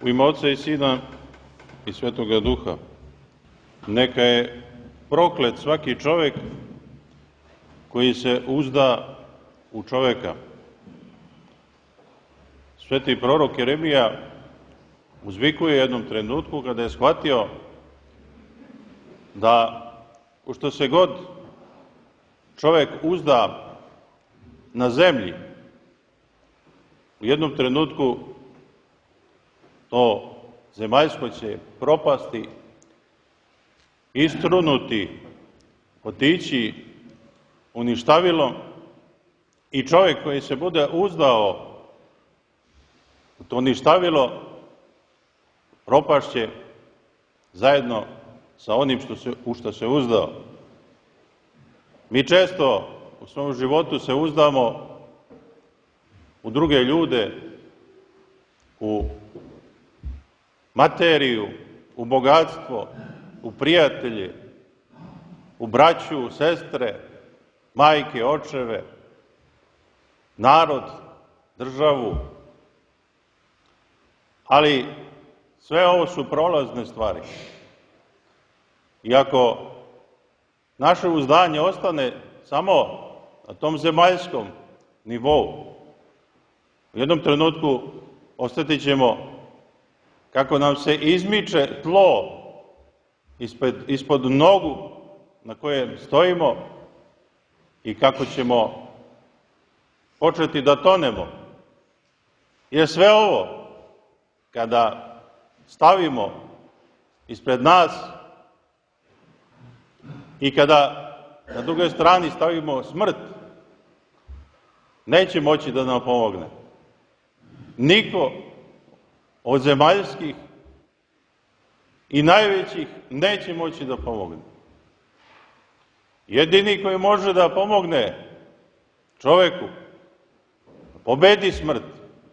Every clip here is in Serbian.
U ime Oca i Sina i Svetoga Duha. Neka je proklet svaki čovek koji se uzda u čoveka. Sveti prorok Jeremija uzvikuje u jednom trenutku kada je shvatio da u što se god čovek uzda na zemlji, u jednom trenutku to zemaljsko će propasti, istrunuti, otići uništavilo i čovjek koji se bude uzdao u to ništavilo propašće zajedno sa onim u što se uzdao. Mi često u svom životu se uzdamo u druge ljude, u materiju, u bogatstvo, u prijatelje, u braću, sestre, majke, očeve, narod, državu. Ali sve ovo su prolazne stvari. I ako naše uzdanje ostane samo na tom zemaljskom nivou, u jednom trenutku osjetit ćemo kako nam se izmiče tlo ispod nogu na kojem stojimo i kako ćemo početi da tonemo. Jer sve ovo, kada stavimo ispred nas i kada na drugoj strani stavimo smrt, neće moći da nam pomogne. Niko od zemaljskih i najvećih neće moći da pomogne. Jedini koji može da pomogne čoveku da pobedi smrt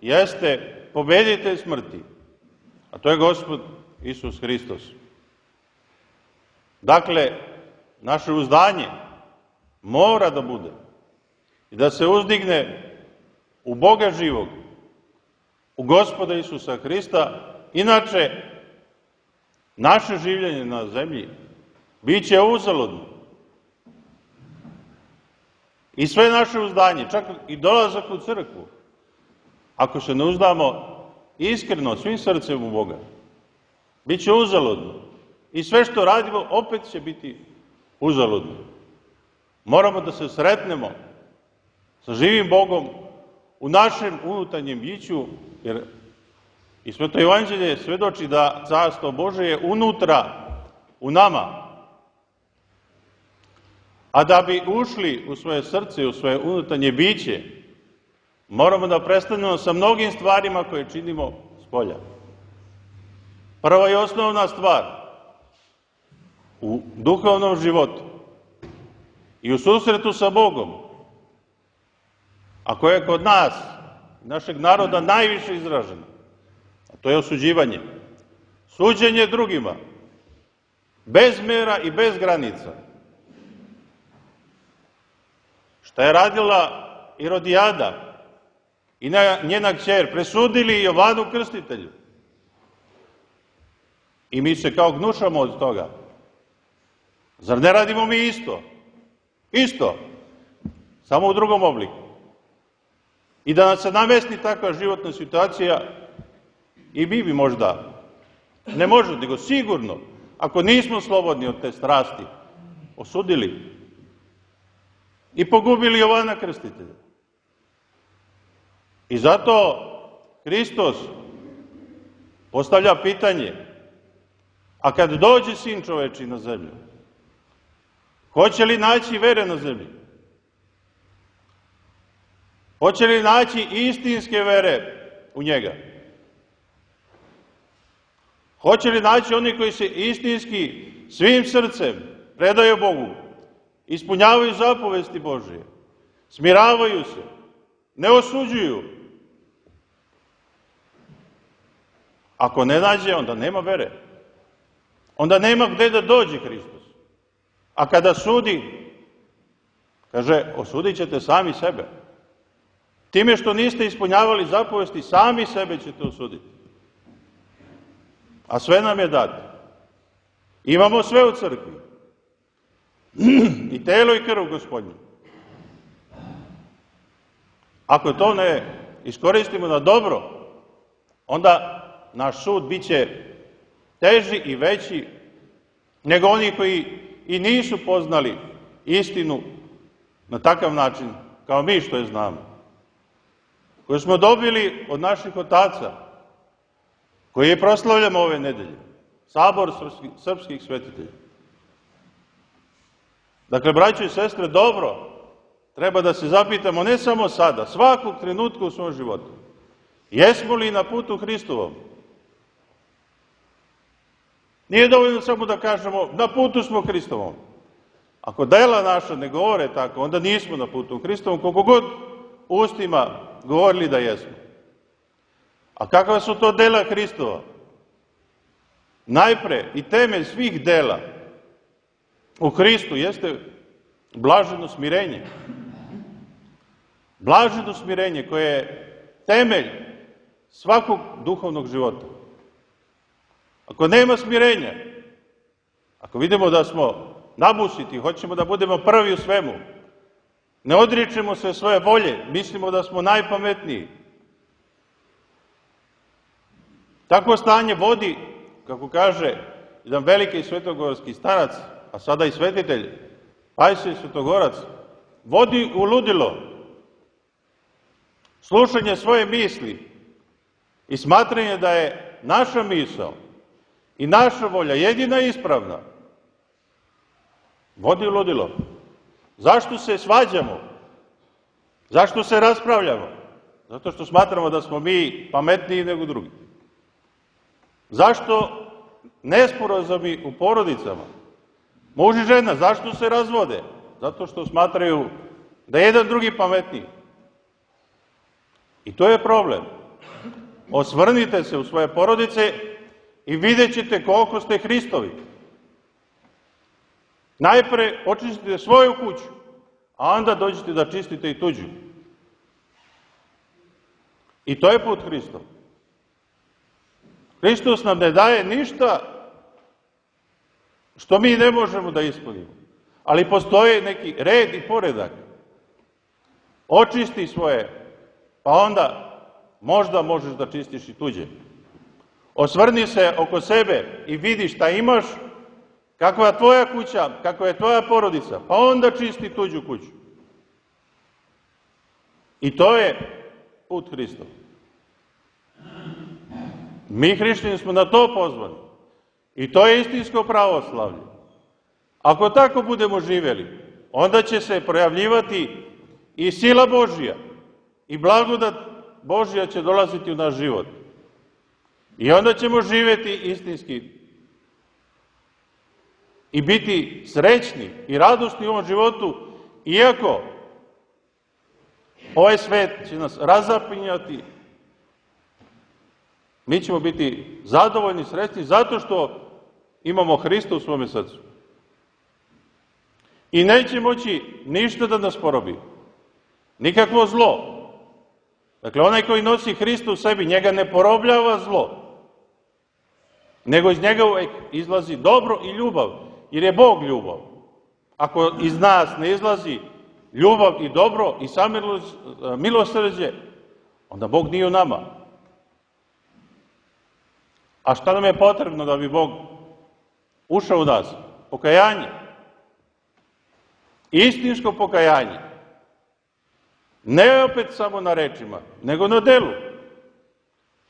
jeste pobeditelj smrti, a to je Gospod Isus Hristos. Dakle, naše uzdanje mora da bude i da se uzdigne u Boga živog, u Gospoda Isusa Hrista, inače naše življenje na zemlji bit će uzaludno. I sve naše uzdanje, čak i dolazak u crkvu, ako se ne uzdamo iskreno, svim srcem u Boga, bit će uzaludno. I sve što radimo opet će biti uzaludno. Moramo da se sretnemo sa živim Bogom u našem unutarnjem biću, jer i Sveto Evanđelje svedoči da Carstvo Božje je unutra, u nama. A da bi ušli u svoje srce, u svoje unutarnje biće, moramo da prestanemo sa mnogim stvarima koje činimo spolja. Prva i osnovna stvar u duhovnom životu i u susretu sa Bogom, a koje je kod nas, našeg naroda, najviše izraženo, a to je osuđivanje. Suđenje drugima, bez mera i bez granica. Šta je radila Irodijada i njena kćer, presudili Jovanu Krstitelju. I mi se kao gnušamo od toga. Zar ne radimo mi isto? Isto, samo u drugom obliku. I da nas se namesti takva životna situacija, i mi bi možda, ne možda, nego sigurno, ako nismo slobodni od te strasti, osudili i pogubili Jovana Krstitelja. I zato Hristos postavlja pitanje, a kad dođe Sin čoveči na zemlju, hoće li naći vere na zemlji? Hoće li naći istinske vere u njega? Hoće li naći oni koji se istinski svim srcem predaju Bogu, ispunjavaju zapovesti Božije, smiravaju se, ne osuđuju? Ako ne nađe, onda nema vere. Onda nema gde da dođe Hristos. A kada sudi, kaže, osudit ćete sami sebe. Time što niste ispunjavali zapovesti, sami sebe ćete osuditi. a sve nam je dato. Imamo sve u crkvi. I telo i krv Gospodnju. Ako to ne iskoristimo na dobro, onda naš sud bit će teži i veći nego oni koji i nisu poznali istinu na takav način kao mi što je znamo. Koju smo dobili od naših otaca, koji je proslavljamo ove nedelje, sabor srpskih svetitelja. Dakle, braćo i sestre, dobro, treba da se zapitamo ne samo sada, svakog trenutka u svom životu. Jesmo li na putu Hristovom? Nije dovoljno samo da kažemo, na putu smo Hristovom. Ako dela naša ne govore tako, onda nismo na putu Hristovom, koliko god ustima govorili da jesmo. A kakva su to dela Hristova? Najpre i temelj svih dela u Hristu jeste blaženo smirenje. Blaženo smirenje koje je temelj svakog duhovnog života. Ako nema smirenja, ako vidimo da smo nabusiti, hoćemo da budemo prvi u svemu, ne odričemo se svoje volje, mislimo da smo najpametniji. Takvo stanje vodi, kako kaže jedan veliki svetogorski starac, a sada i svetitelj, Pajsije Svetogorac, vodi u ludilo. Slušanje svoje misli i smatranje da je naša misao i naša volja jedina ispravna, vodi u ludilo. Zašto se svađamo? Zašto se raspravljamo? Zato što smatramo da smo mi pametniji nego drugi. Zašto nesporazumi u porodicama? Muž i žena, zašto se razvode? Zato što smatraju da je jedan drugi pametniji. I to je problem. Osvrnite se u svoje porodice i vidjet ćete koliko ste Hristovi. Najpre očistite svoju kuću, a onda dođete da čistite i tuđu. I to je put Hristov. Hristos nam ne daje ništa što mi ne možemo da ispunimo. Ali postoji neki red i poredak. Očisti svoje, pa onda možda možeš da čistiš i tuđe. Osvrni se oko sebe i vidi šta imaš, kakva je tvoja kuća, kakva je tvoja porodica, pa onda čisti tuđu kuću. I to je put Hristov. Mi hrišćani smo na to pozvani. I to je istinsko pravoslavlje. Ako tako budemo živjeli, onda će se projavljivati i sila Božja i blagodat Božja će dolaziti u naš život. I onda ćemo živjeti istinski i biti srećni i radosni u ovom životu, iako ovaj svet će nas razapinjati, mi ćemo biti zadovoljni, srećni, zato što imamo Hrista u svome srcu. I neće moći ništa da nas porobi. Nikakvo zlo. Dakle, onaj koji nosi Hrista u sebi, njega ne porobljava zlo, nego iz njega uvek izlazi dobro i ljubav, jer je Bog ljubav. Ako iz nas ne izlazi ljubav i dobro i milosrđe, onda Bog nije u nama. A šta nam je potrebno da bi Bog ušao u nas? Pokajanje. Istinsko pokajanje. Ne opet samo na rečima, nego na delu.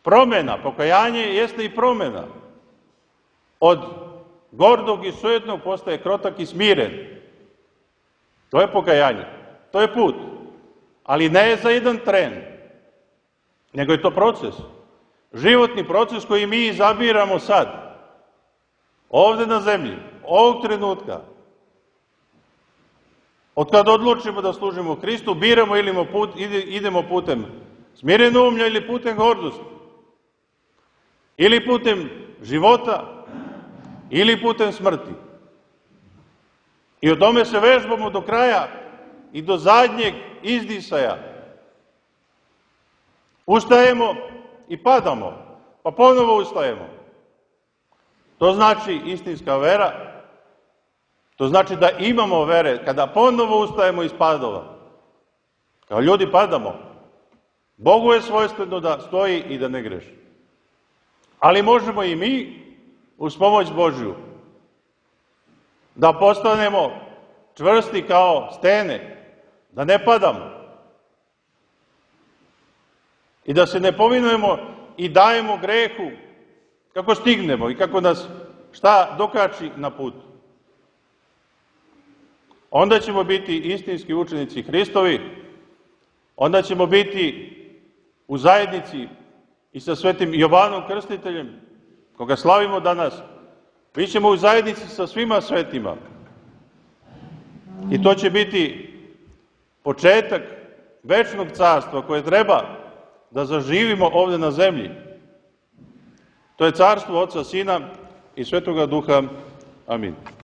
Promena, pokajanje jeste i promena. Od gordog i sujetnog postaje krotak i smiren. To je pokajanje. To je put. Ali ne za jedan tren, nego je to proces. Životni proces koji mi izabiramo sad. Ovde na zemlji. Ovog trenutka. Od kada odlučimo da služimo Hristu, biramo ili idemo putem smirenomlja ili putem gordosti. Ili putem života, ili putem smrti. I o tome se vežbamo do kraja i do zadnjeg izdisaja. Ustajemo i padamo, pa ponovo ustajemo. To znači istinska vera, to znači da imamo vere kada ponovo ustajemo iz padova. Kao ljudi padamo. Bogu je svojstveno da stoji i da ne greši. Ali možemo i mi, uz pomoć Božju, da postanemo čvrsti kao stene, da ne padamo i da se ne povinujemo i dajemo grehu kako stignemo i kako nas šta dokači na putu. Onda ćemo biti istinski učenici Hristovi, onda ćemo biti u zajednici i sa svetim Jovanom Krstiteljem, koga slavimo danas. Mi ćemo u zajednici sa svima svetima. I to će biti početak večnog carstva koje treba da zaživimo ovde na zemlji. To je carstvo Oca, Sina i Svetoga Duha. Amin.